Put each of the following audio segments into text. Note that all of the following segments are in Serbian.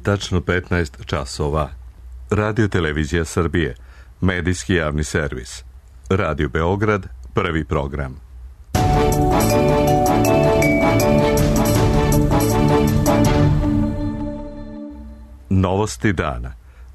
Tačno 15 časova. Radio Televizija Srbije, medijski javni servis. Radio Beograd, prvi program. Novosti dana.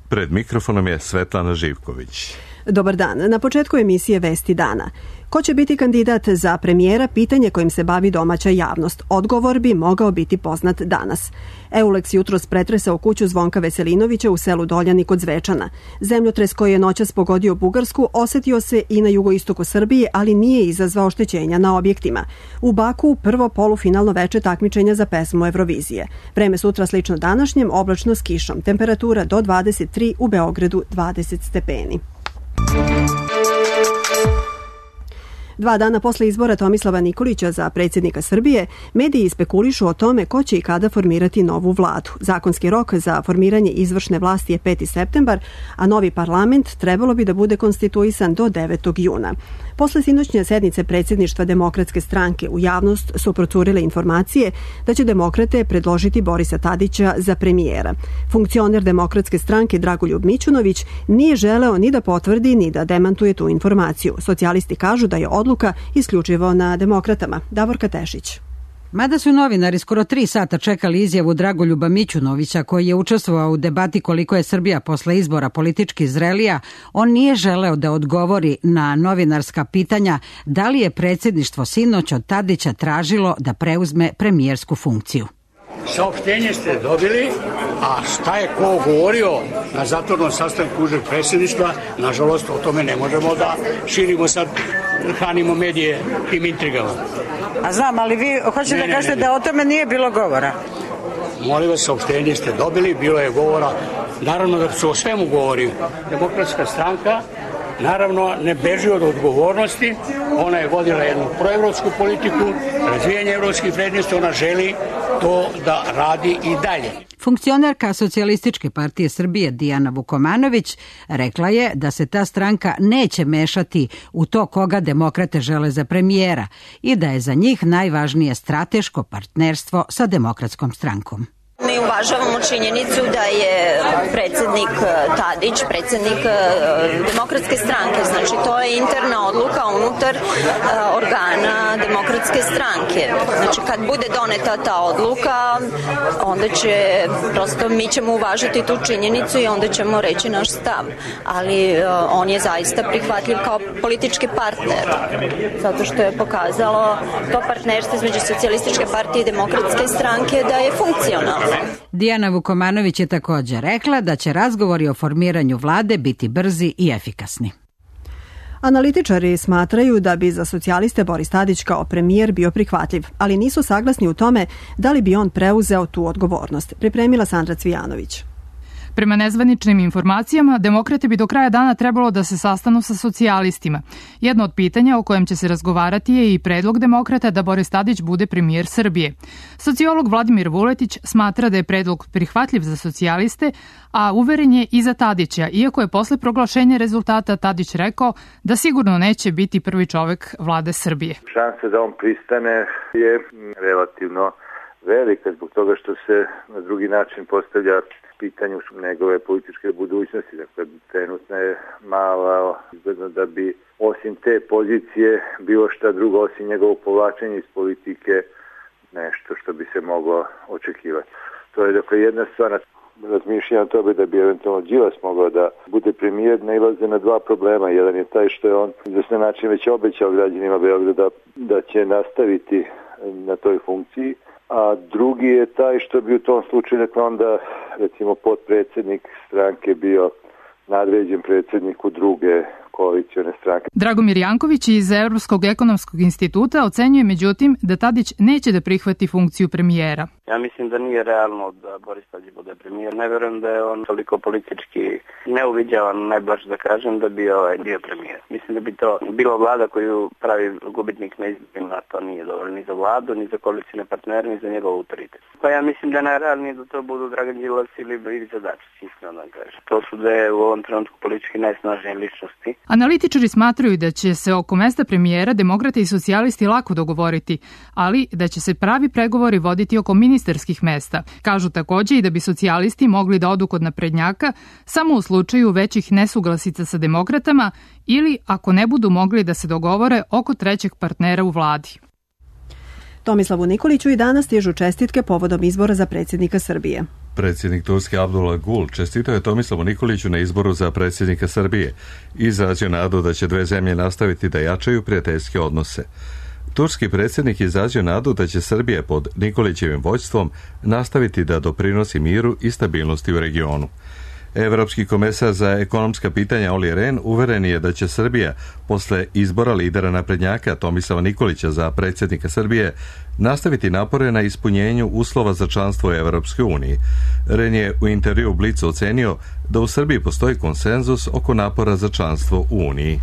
Pred mikrofonom je Svetlana Živković. Dobar dan. Na početku emisije Vesti dana. Ko će biti kandidat za premijera, pitanje kojim se bavi domaća javnost. Odgovor bi mogao biti poznat danas. Eulex jutros pretresao kuću Zvonka Veselinovića u selu Doljani kod Zvečana. Zemljotres koji je noćas pogodio Bugarsku osetio se i na jugoistoku Srbije, ali nije izazvao oštećenja na objektima. U Baku prvo polufinalno veče takmičenja za pesmu Eurovizije. Vreme sutra slično današnjem, oblačno s kišom. Temperatura do 23, u Beogradu 20 stepeni. 2 dana posle izbora Tomislava Nikolića za predsjednika Srbije, mediji spekulišu o tome ko će i kada formirati novu vladu. Zakonski rok za formiranje izvršne vlasti je 5. septembar, a novi parlament trebalo bi da bude konstituisan do 9. juna. Posle sinoćnje sednice predsjedništva Demokratske stranke u javnost su procurile informacije da će demokrate predložiti Borisa Tadića za premijera. Funkcioner Demokratske stranke Dragoljub Mićunović nije želeo ni da potvrdi ni da demantuje tu informaciju. Socijalisti kažu da je odluka isključivo na demokratama. Davorka Tešić. Mada su novinari skoro 3 sata čekali izjavu Dragoljuba Mićunovića, koji je učestvovao u debati koliko je Srbija posle izbora politički zrelija, on nije želeo da odgovori na novinarska pitanja da li je predsjedništvo sinoć od Tadića tražilo da preuzme premijersku funkciju. Saopštenje ste dobili, a šta je ko govorio na zatvornom sastanku užeg predsjedništva, nažalost o tome ne možemo da širimo sad, hranimo medije tim intrigama. A znam, ali vi hoćete da kažete da o tome nije bilo govora? Molim vas, saopštenje ste dobili, bilo je govora, naravno da su o svemu govori. Demokratska stranka naravno ne beži od odgovornosti, ona je vodila jednu proevropsku politiku, razvijanje evropskih vrednosti, ona želi to da radi i dalje. Funkcionerka Socijalističke partije Srbije Dijana Vukomanović rekla je da se ta stranka neće mešati u to koga demokrate žele za premijera i da je za njih najvažnije strateško partnerstvo sa Demokratskom strankom. Mi uvažavamo činjenicu da je predsjednik Tadić, predsjednik Demokratske stranke. Znači, to je interna odluka unutar organa Demokratske stranke. Znači, kad bude doneta ta odluka, onda će, prosto mi ćemo uvažiti tu činjenicu i onda ćemo reći naš stav. Ali on je zaista prihvatljiv kao politički partner. Zato što je pokazalo to partnerstvo između Socijalističke partije i Demokratske stranke da je funkcionalno. Dijana Vukomanović je također rekla da će razgovori o formiranju vlade biti brzi i efikasni. Analitičari smatraju da bi za socijaliste Boris Tadić kao premijer bio prihvatljiv, ali nisu saglasni u tome da li bi on preuzeo tu odgovornost. Pripremila Sandra Cvijanović. Prema nezvaničnim informacijama, demokrate bi do kraja dana trebalo da se sastanu sa socijalistima. Jedno od pitanja o kojem će se razgovarati je i predlog demokrata da Boris Tadić bude premijer Srbije. Sociolog Vladimir Vuletić smatra da je predlog prihvatljiv za socijaliste, a uveren je i za Tadića, iako je posle proglašenja rezultata Tadić rekao da sigurno neće biti prvi čovek vlade Srbije. Šansa da on pristane je relativno velika zbog toga što se na drugi način postavlja pitanju njegove političke budućnosti. Dakle, trenutno je malo izgledno da bi osim te pozicije bilo šta drugo osim njegovog povlačenja iz politike nešto što bi se moglo očekivati. To je dakle jedna stvar. Razmišljam o tome da bi eventualno Đilas mogao da bude premijer, nailaze na 2 problema. Jedan je taj što je on na način već obećao građanima Beograda da će nastaviti na toj funkciji, a drugi je taj što bi u tom slučaju dakle onda recimo potpredsjednik stranke bio nadređen predsjedniku druge koalicione stranke. Dragomir Janković iz Evropskog ekonomskog instituta ocenjuje međutim da Tadić neće da prihvati funkciju premijera. Ja mislim da nije realno da Boris Tadić bude premijer. Ne verujem da je on toliko politički neuviđavan, najblaže da kažem, da bi bio premijer. Mislim da bi to bila vlada koju pravi gubitnik na izborima, to nije dobro ni za vladu, ni za koalicijne partnere, ni za njegov autoritet. Pa ja mislim da je najrealnije da to budu Dragan Đilas ili Ivica Dačić, iskreno da kažem. To su dve u ovom trenutku politički najsnažnije ličnosti. Analitičari smatraju da će se oko mesta premijera demokrate i socijalisti lako dogovoriti, ali da će se pravi pregovori voditi oko minimalnog ministarskih mesta. Kažu takođe i da bi socijalisti mogli da odu kod naprednjaka samo u slučaju većih nesuglasica sa demokratama ili ako ne budu mogli da se dogovore oko trećeg partnera u vladi. Tomislavu Nikoliću i danas stižu čestitke povodom izbora za predsjednika Srbije. Predsjednik Turske Abdullah Gül čestitao je Tomislavu Nikoliću na izboru za predsjednika Srbije i izrazio nadu da će dve zemlje nastaviti da jačaju prijateljske odnose. Turski predsjednik izrazio nadu da će Srbija pod Nikolićevim vođstvom nastaviti da doprinosi miru i stabilnosti u regionu. Evropski komesar za ekonomska pitanja Olli Rehn uveren je da će Srbija posle izbora lidera naprednjaka Tomislava Nikolića za predsjednika Srbije nastaviti napore na ispunjenju uslova za članstvo u Evropskoj uniji. Rehn je u intervju u Blicu ocenio da u Srbiji postoji konsenzus oko napora za članstvo u Uniji.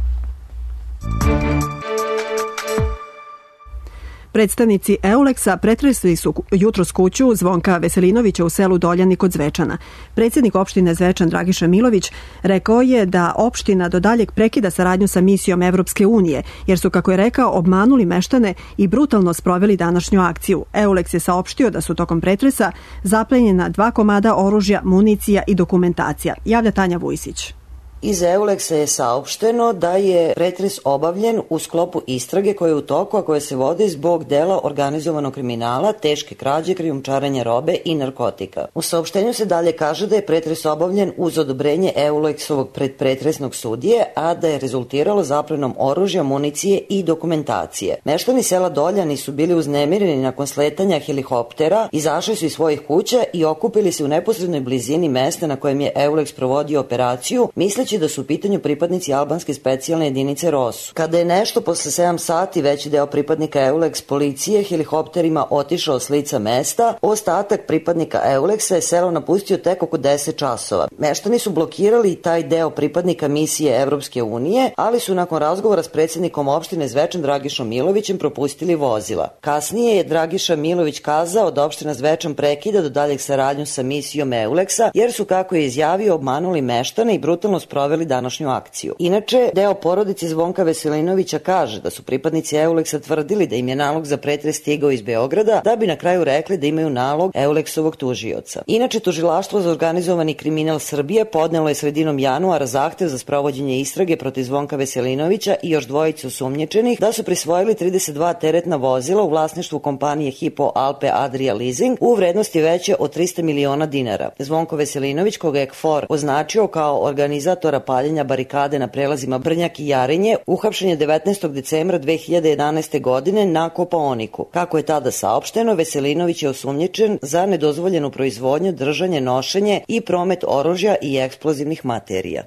Predstavnici Euleksa pretresli su jutros kuću Zvonka Veselinovića u selu Doljani kod Zvečana. Predsjednik opštine Zvečan Dragiša Milović rekao je da opština do daljeg prekida saradnju sa misijom Evropske unije, jer su, kako je rekao, obmanuli meštane i brutalno sproveli današnju akciju. Euleks je saopštio da su tokom pretresa zaplenjena 2 komada oružja, municija i dokumentacija. Javlja Tanja Vujsić. Iz Euleksa je saopšteno da je pretres obavljen u sklopu istrage koja je u toku, a koja se vodi zbog dela organizovanog kriminala, teške krađe, krijumčarenja robe i narkotika. U saopštenju se dalje kaže da je pretres obavljen uz odobrenje Euleksovog predpretresnog sudije, a da je rezultiralo zaplenom oružja, municije i dokumentacije. Meštani sela Doljani su bili uznemireni nakon sletanja helikoptera, izašli su iz svojih kuća i okupili se u neposrednoj blizini mesta na kojem je Euleks provodio operaciju, misleći da su u pitanju pripadnici albanske specijalne jedinice ROSU. Kada je nešto posle 7 sati veći deo pripadnika Euleks policije helikopterima otišao s lica mesta, ostatak pripadnika Euleksa je selo napustio tek oko 10 časova. Meštani su blokirali taj deo pripadnika misije Evropske unije, ali su nakon razgovora s predsjednikom opštine Zvečan Dragišom Milovićem propustili vozila. Kasnije je Dragiša Milović kazao da opština Zvečan prekida do daljeg saradnju sa misijom Euleksa, jer su, kako je izjavio, obmanuli meštane i brutalno sproveli današnju akciju. Inače, deo porodice Zvonka Veselinovića kaže da su pripadnici Euleksa tvrdili da im je nalog za pretres stigao iz Beograda, da bi na kraju rekli da imaju nalog Euleksovog tužioca. Inače, Tužilaštvo za organizovani kriminal Srbije podnelo je sredinom januara zahtev za sprovođenje istrage protiv Zvonka Veselinovića i još dvojicu osumnjičenih da su prisvojili 32 teretna vozila u vlasništvu kompanije Hypo Alpe Adria Leasing u vrednosti veće od 300 miliona dinara. Zvonko Veselinović, koga je KFOR označio kao organizatora paljenja barikade na prelazima Brnjak i Jarinje, uhapšen je 19. decembra 2011. godine na Kopaoniku. Kako je tada saopšteno, Veselinović je osumnjičen za nedozvoljenu proizvodnju, držanje, nošenje i promet oružja i eksplozivnih materija.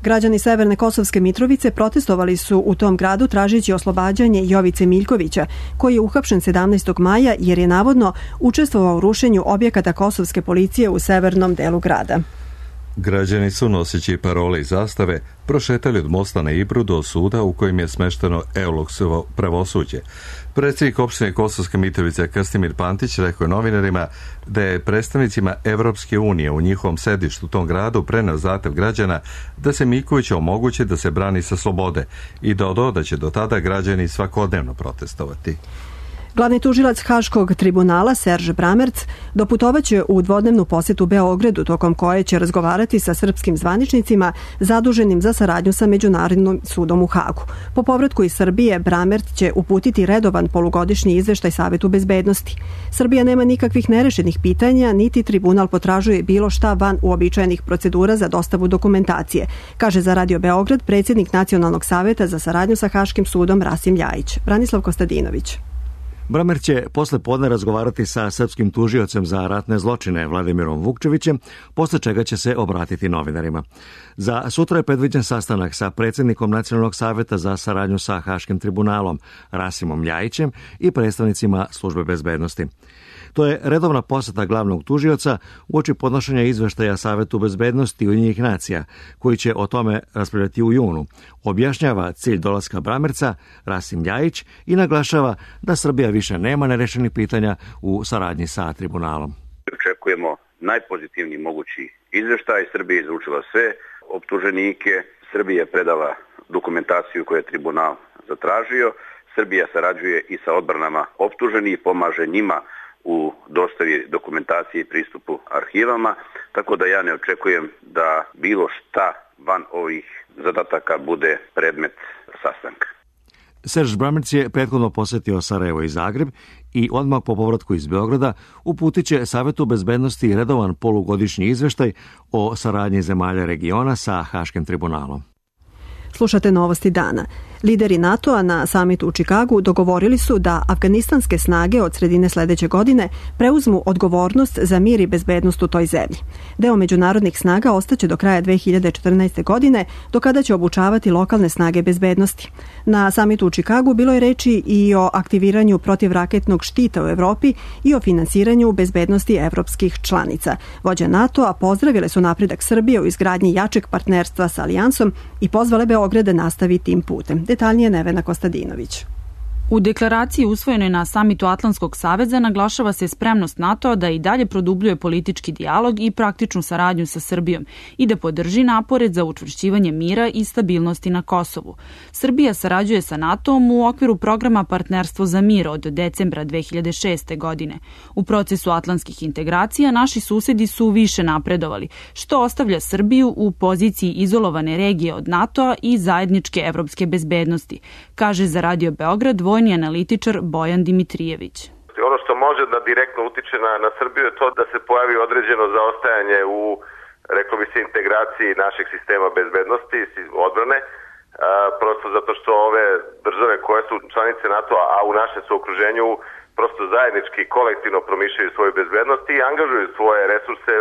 Građani Severne Kosovske Mitrovice protestovali su u tom gradu tražeći oslobađanje Jovice Miljkovića, koji je uhapšen 17. maja jer je navodno učestvovao u rušenju objekata kosovske policije u severnom delu grada. Građani su, noseći parole i zastave, prošetali od mosta na Ibru do suda u kojem je smešteno Euleksovo pravosuđe. Predsjednik opštine Kosovske Mitrovice Krstimir Pantić rekao je novinarima da je predstavnicima Evropske unije u njihovom sedištu u tom gradu preneo zahtev građana da se Miljkoviću omogući da se brani sa slobode i dodao da će do tada građani svakodnevno protestovati. Glavni tužilac Haškog tribunala Serge Bramerc doputovaće u dvodnevnu posjetu Beogradu, tokom koje će razgovarati sa srpskim zvaničnicima zaduženim za saradnju sa Međunarodnim sudom u Hagu. Po povratku iz Srbije, Bramerc će uputiti redovan polugodišnji izveštaj Savetu bezbednosti. Srbija nema nikakvih nerešenih pitanja, niti tribunal potražuje bilo šta van uobičajenih procedura za dostavu dokumentacije, kaže za Radio Beograd predsjednik Nacionalnog saveta za saradnju sa Haškim sudom Rasim Ljajić. Branislav Kostadinović. Bramerc će posle podne razgovarati sa srpskim tužiocem za ratne zločine Vladimirom Vukčevićem, posle čega će se obratiti novinarima. Za sutra je predviđen sastanak sa predsjednikom Nacionalnog saveta za saradnju sa Haškim tribunalom Rasimom Ljajićem i predstavnicima službe bezbednosti. To je redovna poseta glavnog tužioca uoči podnošenja izveštaja Savetu bezbednosti Ujedinjenih nacija, koji će o tome raspravljati u junu. Objašnjava cilj dolaska Bramerca Rasim Ljajić i naglašava da Srbija više nema nerešenih pitanja u saradnji sa tribunalom. Očekujemo najpozitivniji mogući izveštaj. Srbija je izručila sve optuženike, Srbija je predala dokumentaciju koju je tribunal zatražio, Srbija sarađuje i sa odbranama optuženih, pomaže njima u dostavi dokumentacije i pristupu arhivama, tako da ja ne očekujem da bilo šta van ovih zadataka bude predmet sastanka. Serž Brammertz je prethodno posetio Sarajevo i Zagreb i odmah po povratku iz Beograda uputit će Savetu bezbednosti redovan polugodišnji izveštaj o saradnji zemalja regiona sa Haškim tribunalom. Slušate novosti dana. Lideri NATO-a na samitu u Čikagu dogovorili su da afganistanske snage od sredine sledeće godine preuzmu odgovornost za mir i bezbednost u toj zemlji. Deo međunarodnih snaga ostaće do kraja 2014. godine, do kada će obučavati lokalne snage bezbednosti. Na samitu u Čikagu bilo je reči i o aktiviranju protivraketnog štita u Evropi i o finansiranju bezbednosti evropskih članica. Vođe NATO-a pozdravile su napredak Srbije u izgradnji jačeg partnerstva sa Alijansom i pozvale Beograd da nastavi tim putem. Detaljnije Nevena Kostadinović. U deklaraciji usvojenoj na samitu Atlantskog saveza naglašava se spremnost NATO da i dalje produbljuje politički dijalog i praktičnu saradnju sa Srbijom i da podrži napore za učvršćivanje mira i stabilnosti na Kosovu. Srbija sarađuje sa NATO-om u okviru programa Partnerstvo za mir od decembra 2006. godine. U procesu atlantskih integracija naši susedi su više napredovali, što ostavlja Srbiju u poziciji izolovane regije od NATO-a i zajedničke evropske bezbednosti, kaže za Radio Beograd vojni analitičar Bojan Dimitrijević. Ono što može da direktno utiče na Srbiju je to da se pojavi određeno zaostajanje u, rekao bi se, integraciji našeg sistema bezbednosti i odbrane, prosto zato što ove države koje su članice NATO-a, a u našem su okruženju, prosto zajednički, kolektivno promišljaju svoju bezbednost i angažuju svoje resurse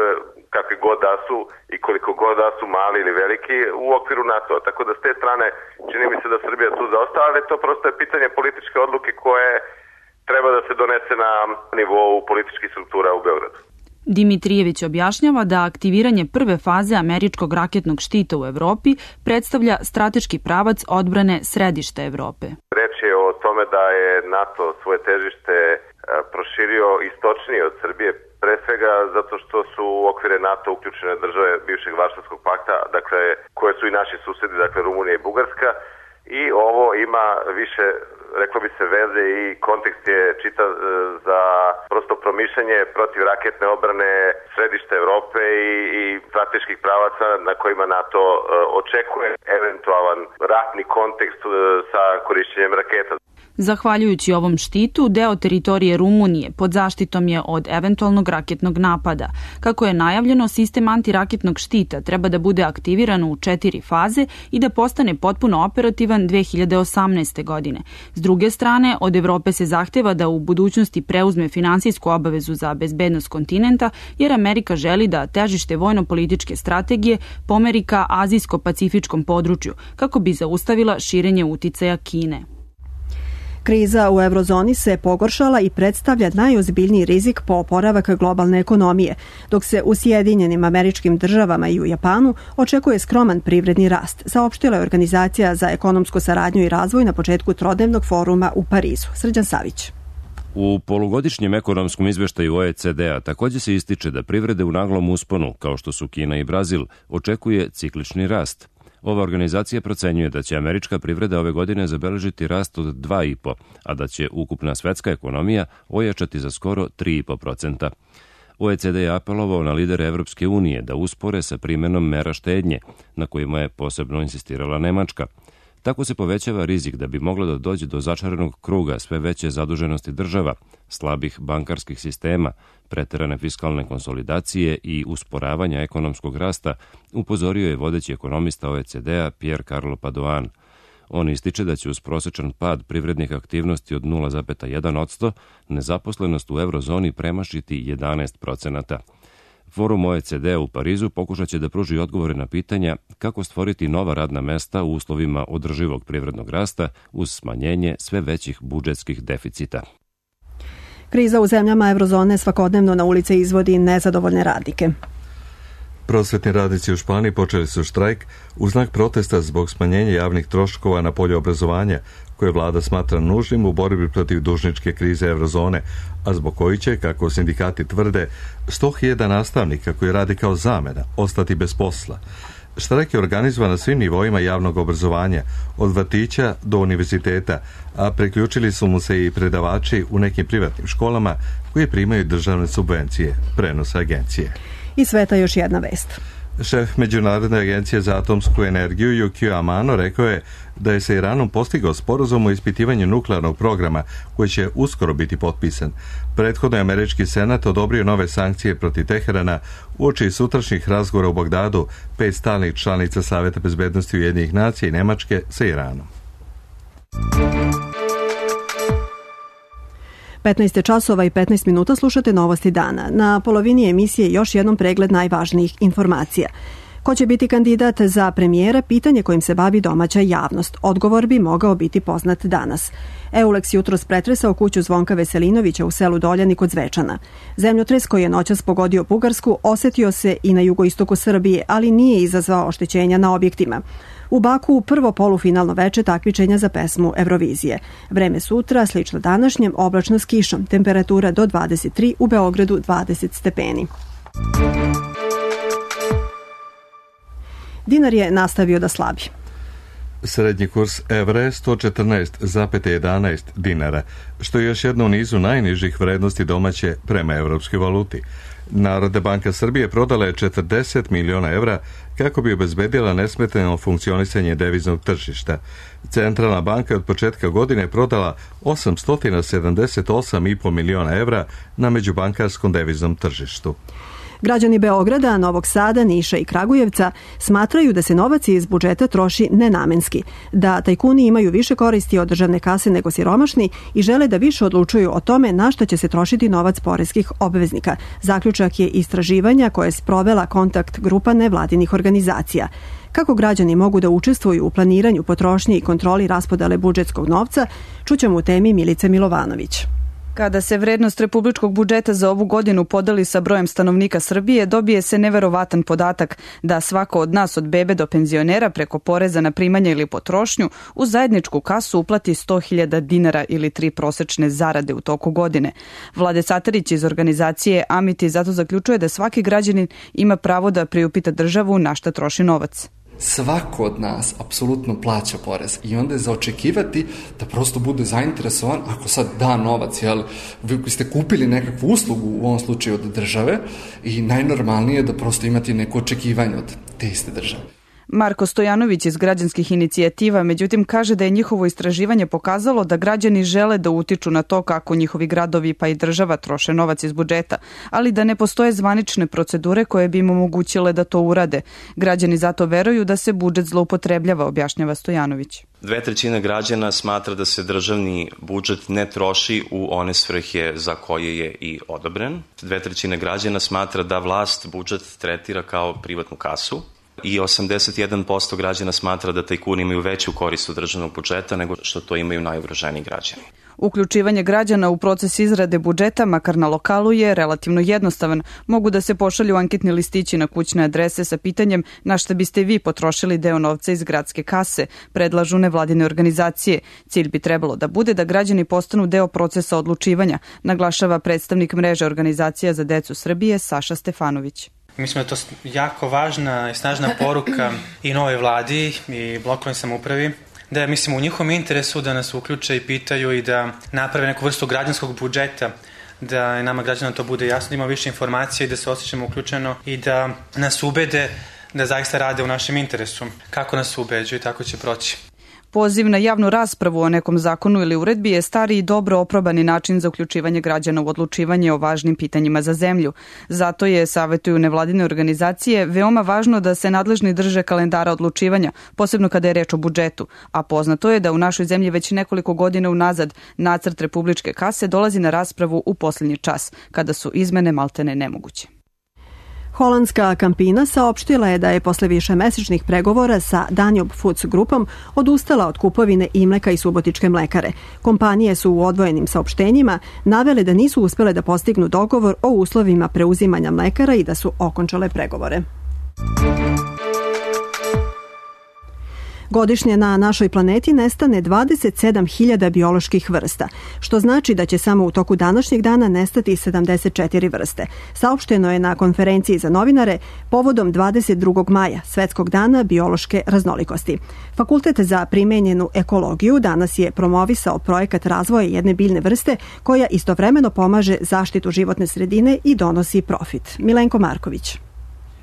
kakve god da su i koliko god da su mali ili veliki u okviru NATO-a. Tako da s te strane čini mi se da Srbija tu zaostala, ali to prosto je pitanje političke odluke koje treba da se donese na nivou političkih struktura u Beogradu. Dimitrijević objašnjava da aktiviranje prve faze američkog raketnog štita u Evropi predstavlja strateški pravac odbrane središta Evrope. Reč je o tome da je NATO svoje težište proširio istočnije od Srbije, pre svega zato što su u okvire NATO uključene države bivšeg Varšavskog pakta, dakle, koje su i naši susedi, dakle Rumunija i Bugarska, i ovo ima više, reklo bi se, veze i kontekst je čita za prosto promišljanje protivraketne odbrane središta Evrope i strateških pravaca na kojima NATO očekuje eventualan ratni kontekst sa korišćenjem raketa. Zahvaljujući ovom štitu, deo teritorije Rumunije pod zaštitom je od eventualnog raketnog napada. Kako je najavljeno, sistem antiraketnog štita treba da bude aktiviran u 4 faze i da postane potpuno operativan 2018. godine. S druge strane, od Evrope se zahteva da u budućnosti preuzme finansijsku obavezu za bezbednost kontinenta, jer Amerika želi da težište vojno-političke strategije pomeri ka azijsko-pacifičkom području, kako bi zaustavila širenje uticaja Kine. Kriza u eurozoni se pogoršala i predstavlja najozbiljniji rizik po oporavak globalne ekonomije, dok se u Sjedinjenim Američkim Državama i u Japanu očekuje skroman privredni rast, saopštila je Organizacija za ekonomsku saradnju i razvoj na početku trodnevnog foruma u Parizu. Srđan Savić. U polugodišnjem ekonomskom izveštaju OECD-a također se ističe da privrede u naglom usponu, kao što su Kina i Brazil, očekuje ciklični rast. Ova organizacija procenjuje da će američka privreda ove godine zabeležiti rast od 2,5%, a da će ukupna svetska ekonomija ojačati za skoro 3,5%. OECD je apelovao na lidere Evropske unije da uspore sa primenom mera štednje, na kojima je posebno insistirala Nemačka. Tako se povećava rizik da bi moglo da dođe do začaranog kruga sve veće zaduženosti država, slabih bankarskih sistema, preterane fiskalne konsolidacije i usporavanja ekonomskog rasta, upozorio je vodeći ekonomista OECD-a Pierre Carlo Padoan. On ističe da će uz prosečan pad privrednih aktivnosti od 0,1% nezaposlenost u eurozoni premašiti 11%. Forum OECD u Parizu pokušat će da pruži odgovore na pitanja kako stvoriti nova radna mesta u uslovima održivog privrednog rasta uz smanjenje sve većih budžetskih deficita. Kriza u zemljama eurozone svakodnevno na ulice izvodi nezadovoljne radnike. Prosvetni radnici u Španiji počeli su štrajk u znak protesta zbog smanjenja javnih troškova na polju obrazovanja, koje vlada smatra nužnim u borbi protiv dužničke krize eurozone, a zbog koji će, kako sindikati tvrde, 100.000 nastavnika koji radi kao zamena ostati bez posla. Štrajk je organizovan na svim nivoima javnog obrazovanja, od vrtića do univerziteta, a priključili su mu se i predavači u nekim privatnim školama koji primaju državne subvencije, prenosa agencije. Iz sveta još jedna vest. Šef Međunarodne agencije za atomsku energiju Yukio Amano rekao je da je sa Iranom postigao sporazum o ispitivanju nuklearnog programa koji će uskoro biti potpisan. Prethodno je američki senat odobrio nove sankcije protiv Teherana uoči sutrašnjih razgovora u Bagdadu 5 stalnih članica Saveta bezbednosti Ujedinjenih nacija i Nemačke sa Iranom. 15 časova i 15 minuta slušate Novosti dana. Na polovini emisije još jednom pregled najvažnijih informacija. Ko će biti kandidat za premijera, pitanje kojim se bavi domaća javnost. Odgovor bi mogao biti poznat danas. Eulex jutros pretresao kuću Zvonka Veselinovića u selu Doljani kod Zvečana. Zemljotres koji je noćas pogodio Bugarsku osetio se i na jugoistoku Srbije, ali nije izazvao oštećenja na objektima. U Baku prvo polufinalno veče takmičenja za pesmu Eurovizije. Vreme sutra, slično današnjem, oblačno s kišom. Temperatura do 23, u Beogradu 20 stepeni. Dinar je nastavio da slabi. Srednji kurs evra je 114,11 dinara, što je još jedno u nizu najnižih vrednosti domaće prema evropskoj valuti. Narodna banka Srbije prodala je 40 miliona evra kako bi obezbedila nesmetano funkcionisanje deviznog tržišta. Centralna banka je od početka godine prodala 878,5 miliona evra na međubankarskom deviznom tržištu. Građani Beograda, Novog Sada, Niša i Kragujevca smatraju da se novac iz budžeta troši nenamenski, da tajkuni imaju više koristi od državne kase nego siromašni i žele da više odlučuju o tome na što će se trošiti novac poreskih obveznika. Zaključak je istraživanja koje je sprovela kontakt grupa nevladinih organizacija. Kako građani mogu da učestvuju u planiranju potrošnje i kontroli raspodele budžetskog novca, čućemo u temi Milice Milovanović. Kada se vrednost republičkog budžeta za ovu godinu podeli sa brojem stanovnika Srbije, dobije se neverovatan podatak da svako od nas od bebe do penzionera preko poreza na primanja ili potrošnju u zajedničku kasu uplati 100.000 dinara ili 3 prosečne zarade u toku godine. Vlade Satarić iz organizacije Amiti zato zaključuje da svaki građanin ima pravo da priupita državu na šta troši novac. Svako od nas apsolutno plaća porez i onda je za očekivati da prosto bude zainteresovan ako sad da novac, jel, vi ste kupili nekakvu uslugu u ovom slučaju od države i najnormalnije je da prosto imate neko očekivanje od te iste države. Marko Stojanović iz građanskih inicijativa, međutim, kaže da je njihovo istraživanje pokazalo da građani žele da utiču na to kako njihovi gradovi pa i država troše novac iz budžeta, ali da ne postoje zvanične procedure koje bi im omogućile da to urade. Građani zato veruju da se budžet zloupotrebljava, objašnjava Stojanović. 2/3 građana smatra da se državni budžet ne troši u one svrhe za koje je i odobren. 2/3 građana smatra da vlast budžet tretira kao privatnu kasu. I 81% građana smatra da tajkuni imaju veću korist od državnog budžeta nego što to imaju najugroženiji građani. Uključivanje građana u proces izrade budžeta, makar na lokalu, je relativno jednostavan. Mogu da se pošalju anketni listići na kućne adrese sa pitanjem na šta biste vi potrošili deo novca iz gradske kase, predlažu nevladine organizacije. Cilj bi trebalo da bude da građani postanu deo procesa odlučivanja, naglašava predstavnik mreže organizacija za decu Srbije Saša Stefanović. Mislim da je to jako važna i snažna poruka i novoj vladi i lokalnoj samoupravi, da je, mislim, u njihovom interesu da nas uključe i pitaju i da naprave neku vrstu građanskog budžeta, da nama građanima to bude jasno, da ima više informacija i da se osjećamo uključeno i da nas ubede da zaista rade u našem interesu. Kako nas ubeđuju, tako će proći. Poziv na javnu raspravu o nekom zakonu ili uredbi je stari i dobro oprobani način za uključivanje građana u odlučivanje o važnim pitanjima za zemlju. Zato je, savetuju nevladine organizacije, veoma važno da se nadležni drže kalendara odlučivanja, posebno kada je reč o budžetu. A poznato je da u našoj zemlji već nekoliko godina unazad nacrt republičke kase dolazi na raspravu u posljednji čas, kada su izmene maltene nemoguće. Holandska Campina saopštila je da je posle višemesečnih pregovora sa Danube Foods grupom odustala od kupovine Imleka i Subotičke mlekare. Kompanije su u odvojenim saopštenjima navele da nisu uspele da postignu dogovor o uslovima preuzimanja mlekara i da su okončale pregovore. Godišnje na našoj planeti nestane 27.000 bioloških vrsta, što znači da će samo u toku današnjeg dana nestati 74 vrste. Saopšteno je na konferenciji za novinare povodom 22. maja, Svetskog dana biološke raznolikosti. Fakultet za primenjenu ekologiju danas je promovisao projekat razvoja jedne biljne vrste koja istovremeno pomaže zaštitu životne sredine i donosi profit. Milenko Marković.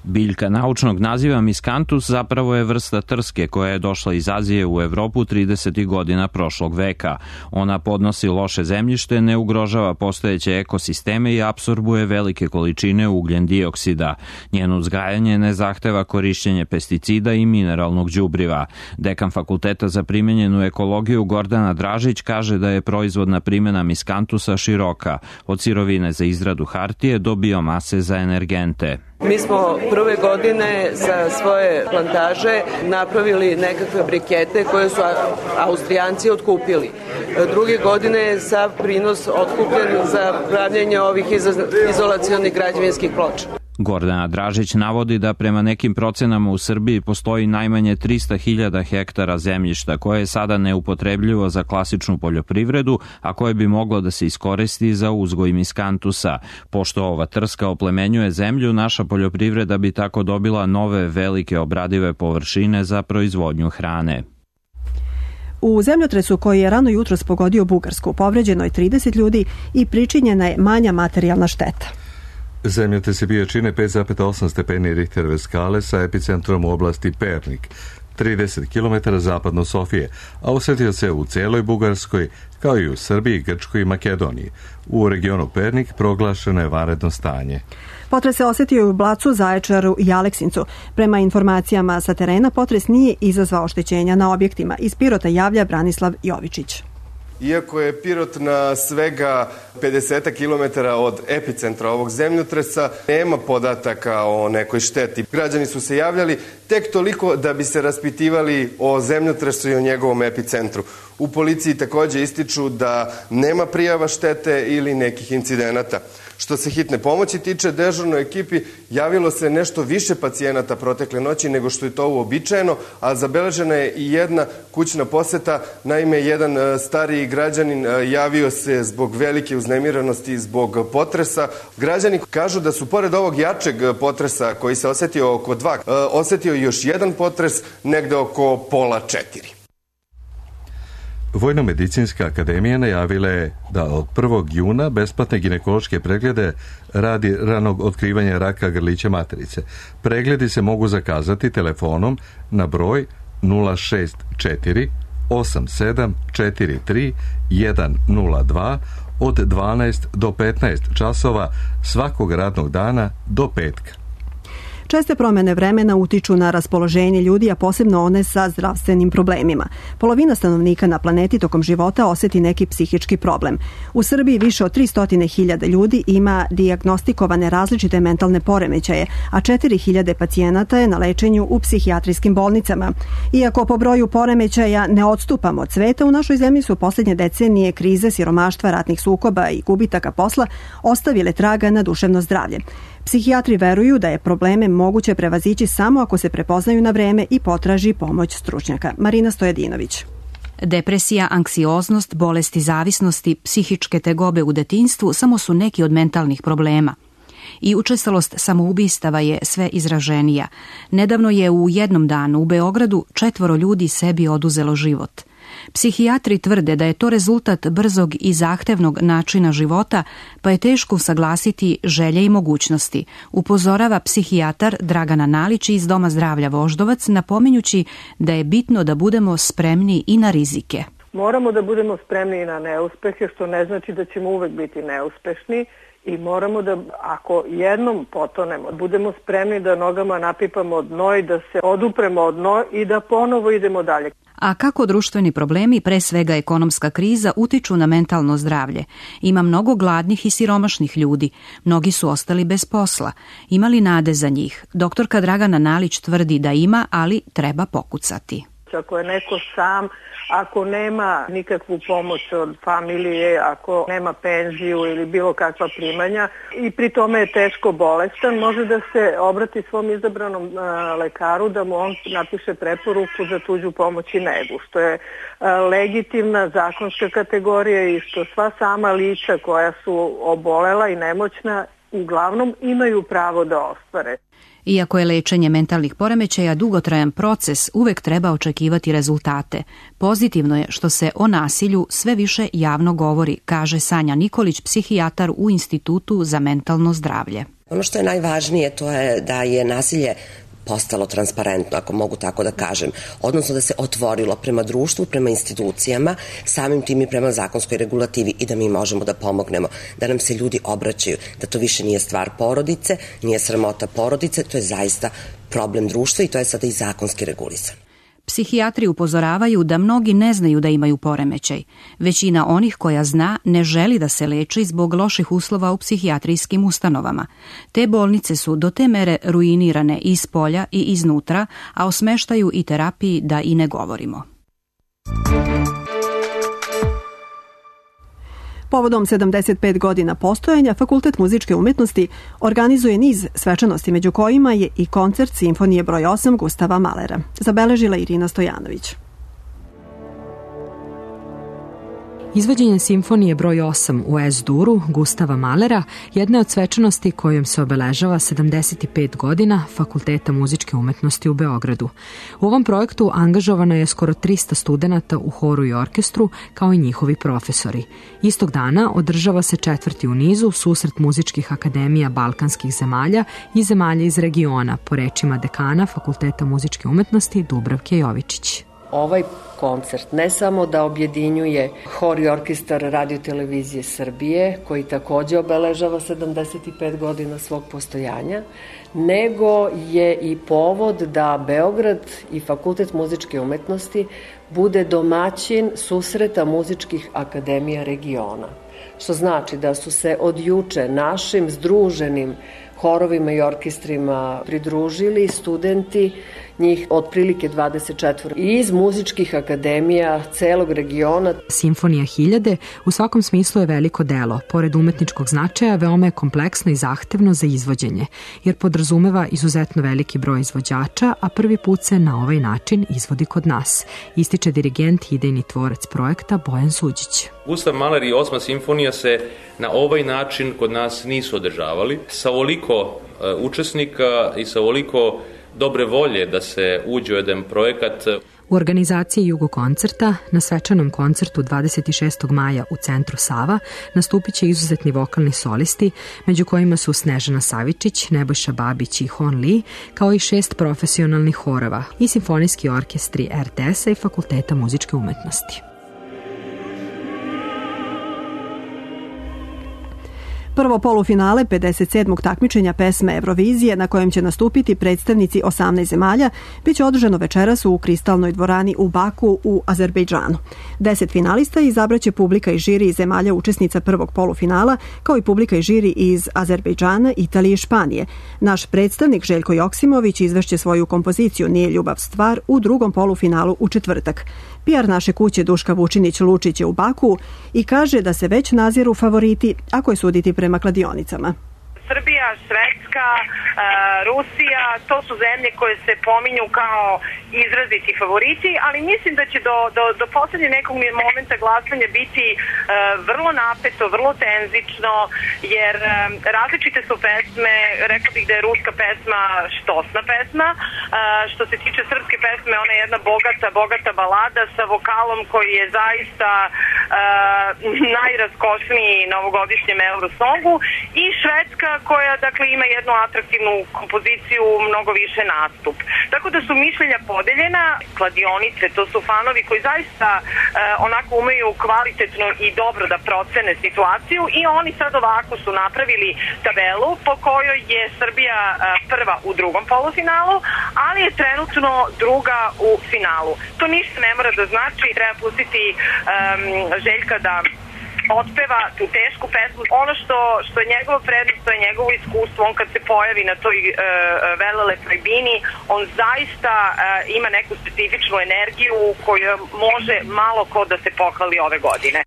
Biljka naučnog naziva Miscanthus zapravo je vrsta trske koja je došla iz Azije u Evropu 30. godina prošlog veka. Ona podnosi loše zemljište, ne ugrožava postojeće ekosisteme i apsorbuje velike količine ugljen dioksida. Njeno uzgajanje ne zahteva korišćenje pesticida i mineralnog đubriva. Dekan Fakulteta za primenjenu ekologiju Gordana Dražić kaže da je proizvodna primjena Miscanthusa široka, od sirovine za izradu hartije do biomase za energente. Mi smo prve godine sa svoje plantaže napravili nekakve brikete koje su Austrijanci otkupili. Druge godine je sav prinos otkupljen za pravljenje ovih izolacionih građevinskih ploča. Gordana Dražić navodi da prema nekim procenama u Srbiji postoji najmanje 300.000 hektara zemljišta koje je sada neupotrebljivo za klasičnu poljoprivredu, a koje bi moglo da se iskoristi za uzgoj Miscanthusa. Pošto ova trska oplemenjuje zemlju, naša poljoprivreda bi tako dobila nove velike obradive površine za proizvodnju hrane. U zemljotresu koji je rano jutros pogodio Bugarsku povređeno je 30 ljudi i pričinjena je manja materijalna šteta. Zemljotres je bio čine 5,8 stepeni Richterove skale sa epicentrom u oblasti Pernik, 30 km zapadno Sofije, a osetio se u celoj Bugarskoj, kao i u Srbiji, Grčkoj i Makedoniji. U regionu Pernik proglašeno je vanredno stanje. Potres se osetio u Blacu, Zaječaru i Aleksincu. Prema informacijama sa terena, potres nije izazvao oštećenja na objektima. Iz Pirota javlja Branislav Jovičić. Iako je Pirot na svega 50 km od epicentra ovog zemljotresa, nema podataka o nekoj šteti. Građani su se javljali tek toliko da bi se raspitivali o zemljotresu i o njegovom epicentru. U policiji takođe ističu da nema prijava štete ili nekih incidenata. Što se hitne pomoći tiče, dežurnoj ekipi javilo se nešto više pacijenata protekle noći nego što je to uobičajeno, a zabeležena je i jedna kućna poseta. Naime, jedan stariji građanin javio se zbog velike uznemiranosti zbog potresa. Građani kažu da su pored ovog jačeg potresa koji se osetio oko 2, osetio još jedan potres negde oko pola 4. Vojno-medicinska akademija najavila je da od 1. juna besplatne ginekološke preglede radi ranog otkrivanja raka grlića materice. Pregledi se mogu zakazati telefonom na broj 064 8743 102 od 12 do 15 časova svakog radnog dana do petka. Česte promene vremena utiču na raspoloženje ljudi, a posebno one sa zdravstvenim problemima. Polovina stanovnika na planeti tokom života oseti neki psihički problem. U Srbiji više od 300.000 ljudi ima dijagnostikovane različite mentalne poremećaje, a 4.000 pacijenata je na lečenju u psihijatrijskim bolnicama. Iako po broju poremećaja ne odstupamo od sveta, u našoj zemlji su posljednje decenije krize, siromaštva, ratnih sukoba i gubitaka posla ostavile traga na duševno zdravlje. Psihijatri veruju da je probleme moguće prevazići samo ako se prepoznaju na vreme i potraži pomoć stručnjaka. Marina Stojadinović. Depresija, anksioznost, bolesti zavisnosti, psihičke tegobe u detinjstvu samo su neki od mentalnih problema. I učestalost samoubistava je sve izraženija. Nedavno je u jednom danu u Beogradu 4 ljudi sebi oduzelo život. Psihijatri tvrde da je to rezultat brzog i zahtevnog načina života, pa je teško usaglasiti želje i mogućnosti, upozorava psihijatar Dragana Nalić iz Doma zdravlja Voždovac, napominjući da je bitno da budemo spremni i na rizike. Moramo da budemo spremni i na neuspehe, što ne znači da ćemo uvek biti neuspešni, i moramo da, ako jednom potonemo, budemo spremni da nogama napipamo dno i da se odupremo od dno i da ponovo idemo dalje. A kako društveni problemi, pre svega ekonomska kriza, utiču na mentalno zdravlje? Ima mnogo gladnih i siromašnih ljudi. Mnogi su ostali bez posla. Ima li nade za njih? Doktorka Dragana Nalić tvrdi da ima, ali treba pokucati. Ako je neko sam, ako nema nikakvu pomoć od familije, ako nema penziju ili bilo kakva primanja i pri tome je teško bolestan, može da se obrati svom izabranom lekaru da mu on napiše preporuku za tuđu pomoć i negu, što je legitimna zakonska kategorija i što sva sama lica koja su obolela i nemoćna uglavnom imaju pravo da ostvare. Iako je lečenje mentalnih poremećaja dugotrajan proces, uvek treba očekivati rezultate. Pozitivno je što se o nasilju sve više javno govori, kaže Sanja Nikolić, psihijatar u Institutu za mentalno zdravlje. Ono što je najvažnije to je da je nasilje postalo transparentno, ako mogu tako da kažem, odnosno da se otvorilo prema društvu, prema institucijama, samim tim i prema zakonskoj regulativi i da mi možemo da pomognemo, da nam se ljudi obraćaju, da to više nije stvar porodice, nije sramota porodice, to je zaista problem društva i to je sada i zakonski regulisan. Psihijatri upozoravaju da mnogi ne znaju da imaju poremećaj. Većina onih koja zna ne želi da se leči zbog loših uslova u psihijatrijskim ustanovama. Te bolnice su do te mere ruinirane i iz polja i iznutra, a o smeštaju i terapiji da i ne govorimo. Povodom 75 godina postojanja, Fakultet muzičke umetnosti organizuje niz svečanosti, među kojima je i koncert Simfonije broj 8 Gustava Mahlera. Zabeležila Irina Stojanović. Izvođenje Simfonije broj 8 u S-duru Gustava Mahlera jedna je od svečanosti kojom se obeležava 75 godina Fakulteta muzičke umetnosti u Beogradu. U ovom projektu angažovano je skoro 300 studenata u horu i orkestru, kao i njihovi profesori. Istog dana održava se 4. u nizu susret muzičkih akademija balkanskih zemalja i zemalja iz regiona, po rečima dekana Fakulteta muzičke umetnosti Dubravke Jovičić. Ovaj koncert ne samo da objedinjuje hor i orkestar Radio-televizije Srbije, koji takođe obeležava 75 godina svog postojanja, nego je i povod da Beograd i Fakultet muzičke umetnosti bude domaćin susreta muzičkih akademija regiona. Što znači da su se od juče našim združenim horovima i orkestrima pridružili studenti, njih otprilike 24 iz muzičkih akademija celog regiona. Simfonija 1000 u svakom smislu je veliko delo. Pored umetničkog značaja, veoma je kompleksno i zahtevno za izvođenje, jer podrazumeva izuzetno veliki broj izvođača, a prvi put se na ovaj način izvodi kod nas, ističe dirigent i idejni tvorac projekta Bojan Suđić. Gustav Mahler i 8. simfonija se na ovaj način kod nas nisu održavali. Sa ovoliko učesnika i sa ovoliko dobre volje da se uđe u jedan projekat. U organizaciji Jugokoncerta na svečanom koncertu 26. maja u centru Sava nastupit će izuzetni vokalni solisti, među kojima su Snežana Savičić, Nebojša Babić i Hon Lee, kao i 6 profesionalnih horova i simfonijski orkestri RTS-a i Fakulteta muzičke umetnosti. Prvo polufinale 57. takmičenja pesme Eurovizije, na kojem će nastupiti predstavnici 18 zemalja, biće održano večeras u Kristalnoj dvorani u Baku u Azerbejdžanu. 10 finalista izabraće publika i žiri iz zemalja učesnica prvog polufinala, kao i publika i žiri iz Azerbejdžana, Italije i Španije. Naš predstavnik Željko Joksimović izvešće svoju kompoziciju Nije ljubav stvar u drugom polufinalu u četvrtak. PR naše kuće Duška Vučinić-Lučić je u Baku i kaže da se već naziru favoriti, ako je suditi prema kladionicama. Srbija, Švedska, Rusija, to su zemlje koje se pominju kao izraziti favoriti, ali mislim da će do poslednje nekog momenta glasanja biti vrlo napeto, vrlo tenzično, jer različite su pesme, rekla bih da je ruska pesma štosna pesma, što se tiče srpske pesme, ona je jedna bogata balada sa vokalom koji je zaista najraskošniji na ovogodišnjem Eurosongu, i Švedska koja dakle ima jednu atraktivnu kompoziciju, mnogo više nastup. Tako da su mišljenja podeljena, kladionice, to su fanovi koji zaista onako umeju kvalitetno i dobro da procene situaciju, i oni sad ovako su napravili tabelu po kojoj je Srbija prva u drugom polufinalu, ali je trenutno druga u finalu. To ništa ne mora da znači, treba pustiti Željka da otpeva tu tešku pesmu. Ono što je njegova prednost, to je njegovo iskustvo. On kad se pojavi na toj velelepnoj bini, on zaista ima neku specifičnu energiju koju može malo ko da se pohvali ove godine.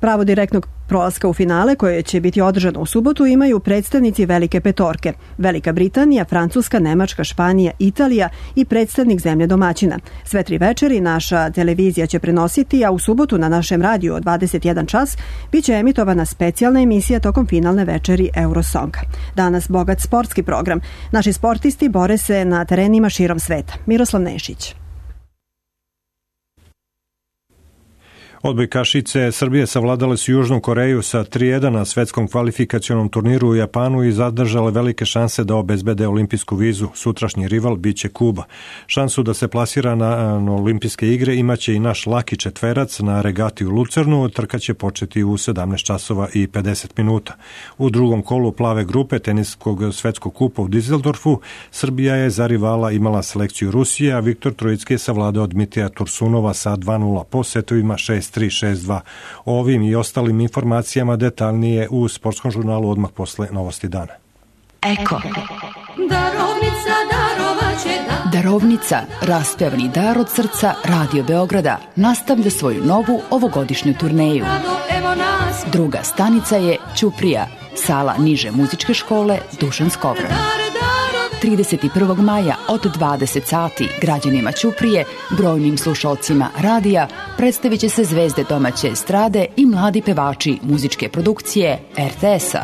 Pravo direktnog prolaska u finale, koje će biti održano u subotu, imaju predstavnici Velike petorke: Velika Britanija, Francuska, Nemačka, Španija, Italija i predstavnik zemlje domaćina. Sve 3 večeri naša televizija će prenositi, a u subotu na našem radiju od 21 čas biće emitovana specijalna emisija tokom finalne večeri Eurosonga. Danas bogat sportski program. Naši sportisti bore se na terenima širom sveta. Miroslav Nešić. Odbojkašice Srbije savladale su Južnu Koreju sa 3:1 na svetskom kvalifikacionom turniru u Japanu i zadržale velike šanse da obezbede olimpijsku vizu. Sutrašnji rival biće Kuba. Šansu da se plasira na olimpijske igre imaće i naš laki četverac na regati u Lucernu. Trka će početi u 17 časova i 50 minuta. U drugom kolu plave grupe teniskog svetskog kupa u Dizeldorfu Srbija je za rivala imala selekciju Rusije, a Viktor Trojicki je savladao Dmitrija Tursunova sa 2:0 po setovima 6-3, 6-2. O ovim i ostalim informacijama detaljnije u sportskom žurnalu odmah posle novosti dana. Eko. Darovnica, raspevani dar od srca Radio Beograda, nastavlja svoju novu ovogodišnju turneju. Druga stanica je Ćuprija, sala niže muzičke škole Dušan Skovran. 31. maja od 20 sati građanima Ćuprije, brojnim slušalcima radija, predstavit će se zvezde domaće estrade i mladi pevači muzičke produkcije RTS-a.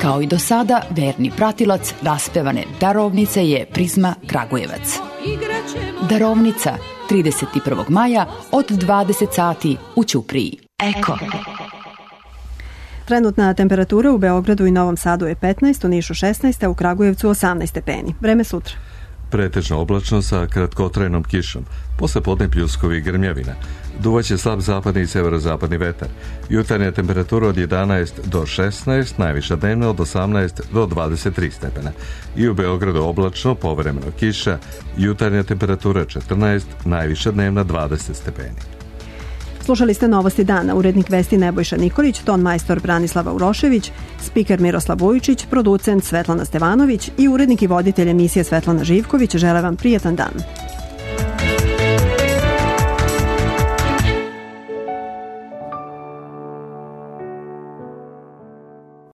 Kao i do sada, verni pratilac raspevane Darovnice je Prizma Kragujevac. Darovnica, 31. maja od 20 sati u Ćupriji. Eko. Trenutna temperatura u Beogradu i Novom Sadu je 15, u Nišu 16, a u Kragujevcu 18 stepeni. Vreme sutra. Pretežno oblačno sa kratkotrajnom kišom. Posle podne pljuskovi i grmljavina. Duvaće slab zapadni i severozapadni vetar. Jutarnja temperatura od 11 do 16, najviša dnevna od 18 do 23 stepena. I u Beogradu oblačno, povremeno kiša, jutarnja temperatura 14, najviša dnevna 20 stepeni. Slušali ste novosti dana, urednik vesti Nebojša Nikolić, ton majstor Branislava Urošević, spiker Miroslav Vujičić, producent Svetlana Stevanović i urednik i voditelj emisije Svetlana Živković. Žele vam prijetan dan.